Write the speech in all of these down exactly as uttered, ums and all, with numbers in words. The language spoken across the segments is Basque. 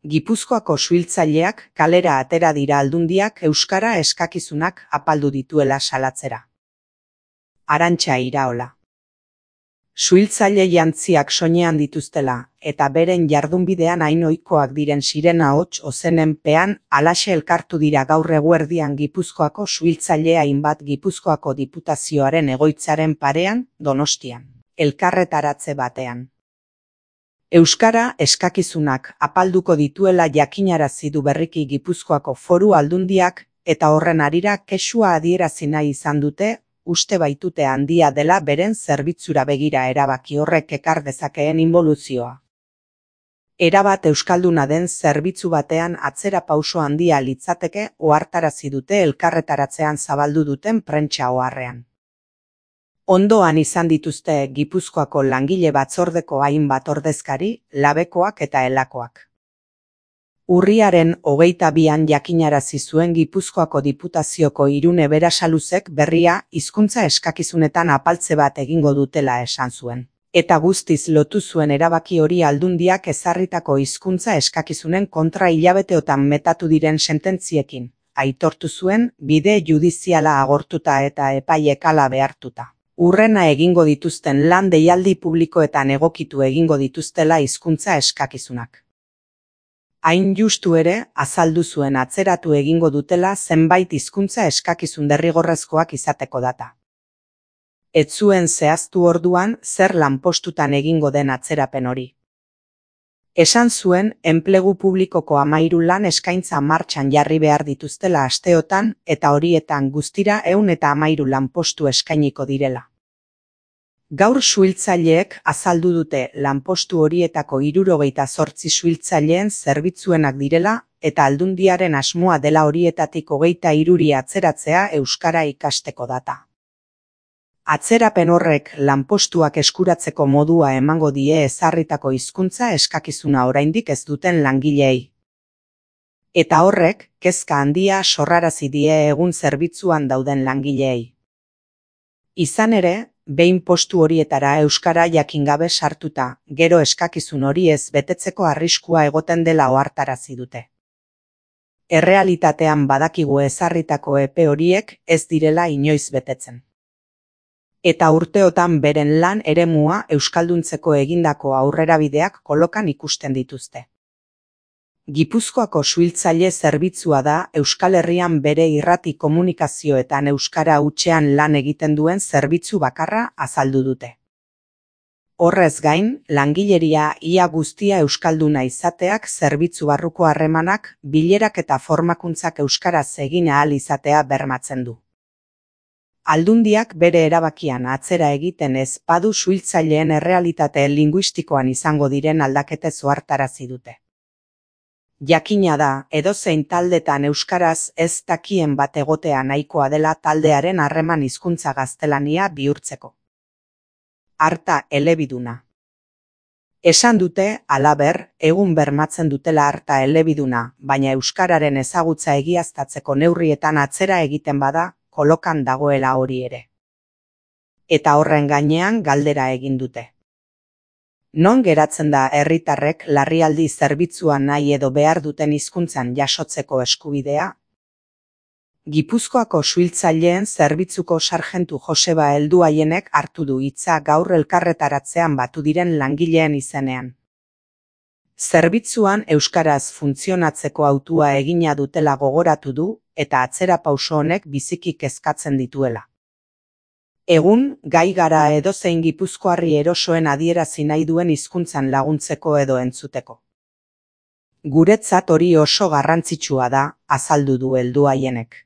Gipuzkoako suhiltzaileak kalera atera dira Aldundiak euskara eskakizunak apaldu dituela salatzera. Arantxa Iraola. Suhiltzaile jantziak soinean dituztela, eta beren jardunbidean hain ohikoak diren sirena hots ozenen pean halaxe elkartu dira gaur eguerdian Gipuzkoako suhiltzaile hainbat Gipuzkoako Diputazioaren egoitzaren parean, Donostian, elkarretaratze batean. Euskara eskakizunak apalduko dituela jakinarazi du berriki Gipuzkoako Foru Aldundiak eta horren harira kexua adierazi nahi izan dute, uste baitute handia dela beren zerbitzura begira erabaki horrek ekar dezakeen inboluzioa. Erabat euskalduna den zerbitzu batean atzera pauso handia litzateke ohartarazi dute elkarretaratzean zabaldu duten prentsa oharrean. Ondoan izan dituzte Gipuzkoako langile batzordeko hainbat ordezkari, labekoak eta elakoak. Urriaren hogeita bian jakinarazi zuen Gipuzkoako Diputazioko Irune Berasaluzek berria hizkuntza eskakizunetan apaltze bat egingo dutela esan zuen. Eta guztiz lotu zuen erabaki hori Aldundiak ezarritako hizkuntza eskakizunen kontra hilabeteotan metatu diren sententziekin, aitortu zuen bide judiziala agortuta eta epaiek hala behartuta. Urrena egingo dituzten lan deialdi publikoetan egokitu egingo dituztela hizkuntza eskakizunak. Hain justu ere, azaldu zuen atzeratu egingo dutela zenbait hizkuntza eskakizun derrigorrezkoak izateko data. Ez zuen zehaztu orduan zer lanpostutan egingo den atzerapen hori. Esan zuen enplegu publikoko hamahiru lan eskaintza martxan jarri behar dituztela asteotan eta horietan guztira ehun eta hamahiru lanpostu eskainiko direla. Gaur suhiltzaileek azaldu dute lanpostu horietako hirurogeita zortzi suhiltzaileen zerbitzuenak direla eta Aldundiaren asmoa dela horietatik hogeita hiruri atzeratzea euskara ikasteko data. Atzerapen horrek lanpostuak eskuratzeko modua emango die ezarritako hizkuntza eskakizuna oraindik ez duten langileei. Eta horrek kezka handia sorrarazi die egun zerbitzuan dauden langileei. Izan ere, behin postu horietara euskara jakin gabe sartuta, gero eskakizun hori ez betetzeko arriskua egoten dela ohartarazi dute. Errealitatean badakigu ezarritako epe horiek ez direla inoiz betetzen. Eta urteotan beren lan eremua euskalduntzeko egindako aurrerabideak kolokan ikusten dituzte. Gipuzkoako suhiltzaile zerbitzua da Euskal Herrian bere irrati komunikazioetan euskara hutsean lan egiten duen zerbitzu bakarra azaldu dute. Horrez gain, langileria ia guztia euskalduna izateak zerbitzu barruko harremanak, bilerak eta formakuntzak euskaraz egin ahal izatea bermatzen du. Aldundiak bere erabakian atzera egiten ez badu suhiltzaileen errealitate linguistikoan izango diren aldaketez ohartarazi dute. Jakina da, edozein taldetan euskaraz ez dakien bat egotea nahikoa dela taldearen harreman hizkuntza gaztelania bihurtzeko. Arta elebiduna. Esan dute, halaber, egun bermatzen dutela arta elebiduna, baina euskararen ezagutza egiaztatzeko neurrietan atzera egiten bada, kolokan dagoela hori ere. Eta horren gainean galdera egin dute. Non geratzen da herritarrek larrialdi zerbitzua nahi edo behar duten hizkuntzan jasotzeko eskubidea? Gipuzkoako suhiltzaileen zerbitzuko sarjentu Joseba Helduaienek hartu du hitza gaur elkarretaratzean batu diren langileen izenean. Zerbitzuan euskaraz funtzionatzeko hautua egina dutela gogoratu du eta atzera pauso honek biziki kezkatzen dituela. Egun, gai gara edozein gipuzkoarri erosoen adierazi nahi duen hizkuntzan laguntzeko edo entzuteko. Guretzat hori oso garrantzitsua da, azaldu du Helduaienek.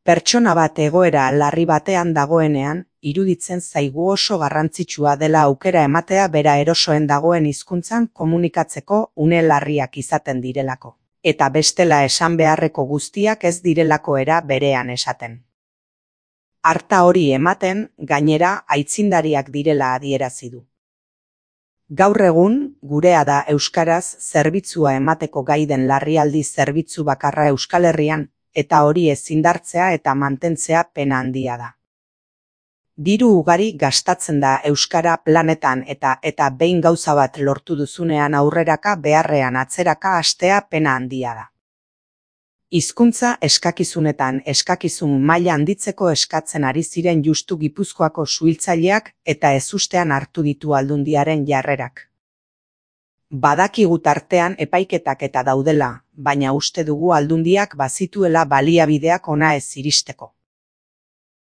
Pertsona bat egoera larri batean dagoenean, iruditzen zaigu oso garrantzitsua dela aukera ematea bera erosoen dagoen hizkuntzan komunikatzeko une larriak izaten direlako. Eta bestela esan beharreko guztiak ez direlako era berean esaten. Arta hori ematen, gainera, aitzindariak direla adierazi du. Gaur egun, gurea da euskaraz zerbitzua emateko gaiden larrialdi zerbitzu bakarra Euskal Herrian, eta hori ezindartzea eta mantentzea pena handia da. Diru ugari gastatzen da euskara planetan eta eta behin gauza bat lortu duzunean aurreraka beharrean atzeraka hastea pena handia da. Hizkuntza eskakizunetan eskakizun maila handitzeko eskatzen ari ziren justu Gipuzkoako suhiltzaileak eta ezustean hartu ditu Aldundiaren jarrerak. Badakigu tartean epaiketak eta daudela, baina uste dugu Aldundiak bazituela baliabideak hona ez iristeko.